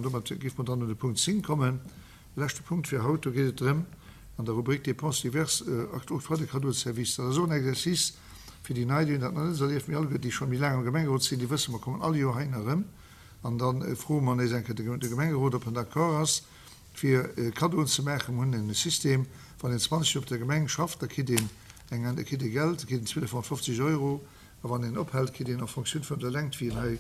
An domat géife mer dann un de Punkt 10 kommen, de leschte Punkt fir haut. Do geet et drëm, an der Rubrik Dépenses diverses, Octroi de cadeaux de service. Dat ass och en Exercice fir déi Nei, déi hunn dat nach net erlieft, mee alleguer, déi scho méi laang am Gemengerot sinn, déi wëssen, mer kommen all Joer heihinner erëm an da froe mer nees eng Kéier de Gemengerot, ob en d'accord ass, fir Kaddoen ze maachen. Mer hunn e System, wann een 20 Joer op der Gemeng schafft, da kritt een eng, da kritt ee Geld, da kritt een 1250 Euro, a wann een ophält, kritt een en fonction vun der Längt, wéi een hei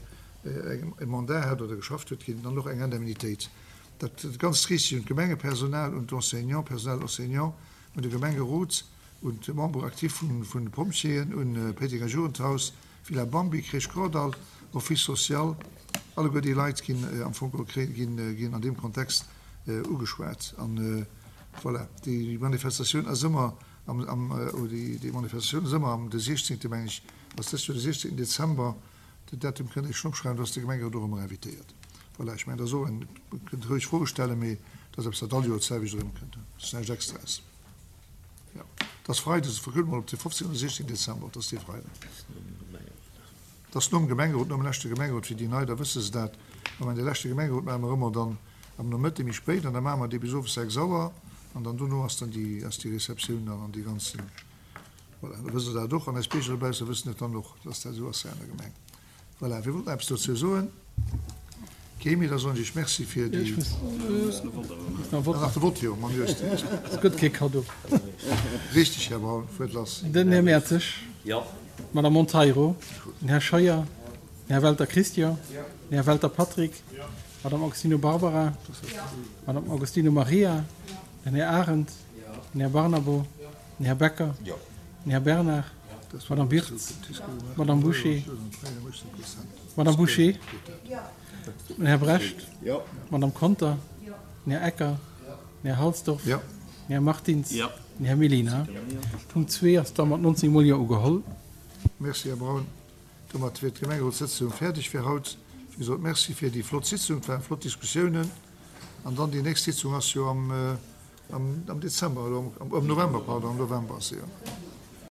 e Mandat hat oder geschafft huet, kritt een dann och eng Indemnitéit. Dat Ganzt riicht sech un d'Gemengepersonal, un d'Enseignants, Personnel enseignant, un de Gemengerot, un d'Membres actifs vun de Pompjeeën, un d'Péitenger Jugendhaus, Villa Bambi, Crèche Kordall, Office social, alleguer déi Leit ginn am Fong ginn an deem Kontext ugeschwat. An voilà, déi Manifestatioun ass ëmmer am, am, déi Manifestatioun ass ëmmer am de 16. meng ech, ass dëst Joer de 16. Dezember. Den Datum kënnt Dir schonn opschreiwen, do ass de Gemengerot och ëmmer invitéiert. Voilà, ech mengen, dat ass och en, kënnt roueg Froe stellen, mee dat ass eppes, wat all Joer d'selwecht erëmkënnt, dat ass näischt Extraes. Jo, dat ass Freides, verkuckt mol op de 15 oder 16 Dezember, dat ass dee Freiden. Dat ass nom Gemengerot, nom leschte Gemengerot, fir déi Nei, da wësse se dat. Mer maachen de leschte Gemengerot maache mer ëmmer dann am Nomëtte méi spéit an da maache mer dee bis owes 6 Auer an dann dono ass dann déi, ass déi Receptioun dann an déi ganzen, voilà, da wësst Der dat och an eis Bierger dobausse wëssen et dann och, dass dat esou ass hei an der Gemeng. Voilà, wie wollt nach eppes dozou soen? Kee méi? Da soen ech Iech Merci fir déi. Ah, nach de Vott, jo, mam Jost. Et gëtt kee Kaddo. Richteg, Här Braun, fuert lass. Den Här Mertzig. Jo. D'Madame Monteiro. Den Här Scheuer. Den Här Welter Christian. Den Här Welter Patrick. D'Madame Augustino Barbara. D'Madame Augustino Maria. Den Här Arendt. Den Här Barnabo. Den Här Becker. Den Här Bernard. D'Madame Birtz. D'Madame Bouché. D'Madame Bouché. Den Här Brecht. D'Madame Conter. Den Här Ecker. Den Här Halsdorf. Den Här Martins. Den Här Mellina. Punkt 2 ass da mat 19 mol Jo ugeholl. Merci, Här Braun. Domat wier d'Gemengerotssëtzung fäerdeg fir haut. Wéi gesot, Merci fir déi flott Sitzung. Et waren flott Diskussiounen. An dann déi nächst Sitzung ass jo am Dezember, oder am November, pardon, am November ass se jo.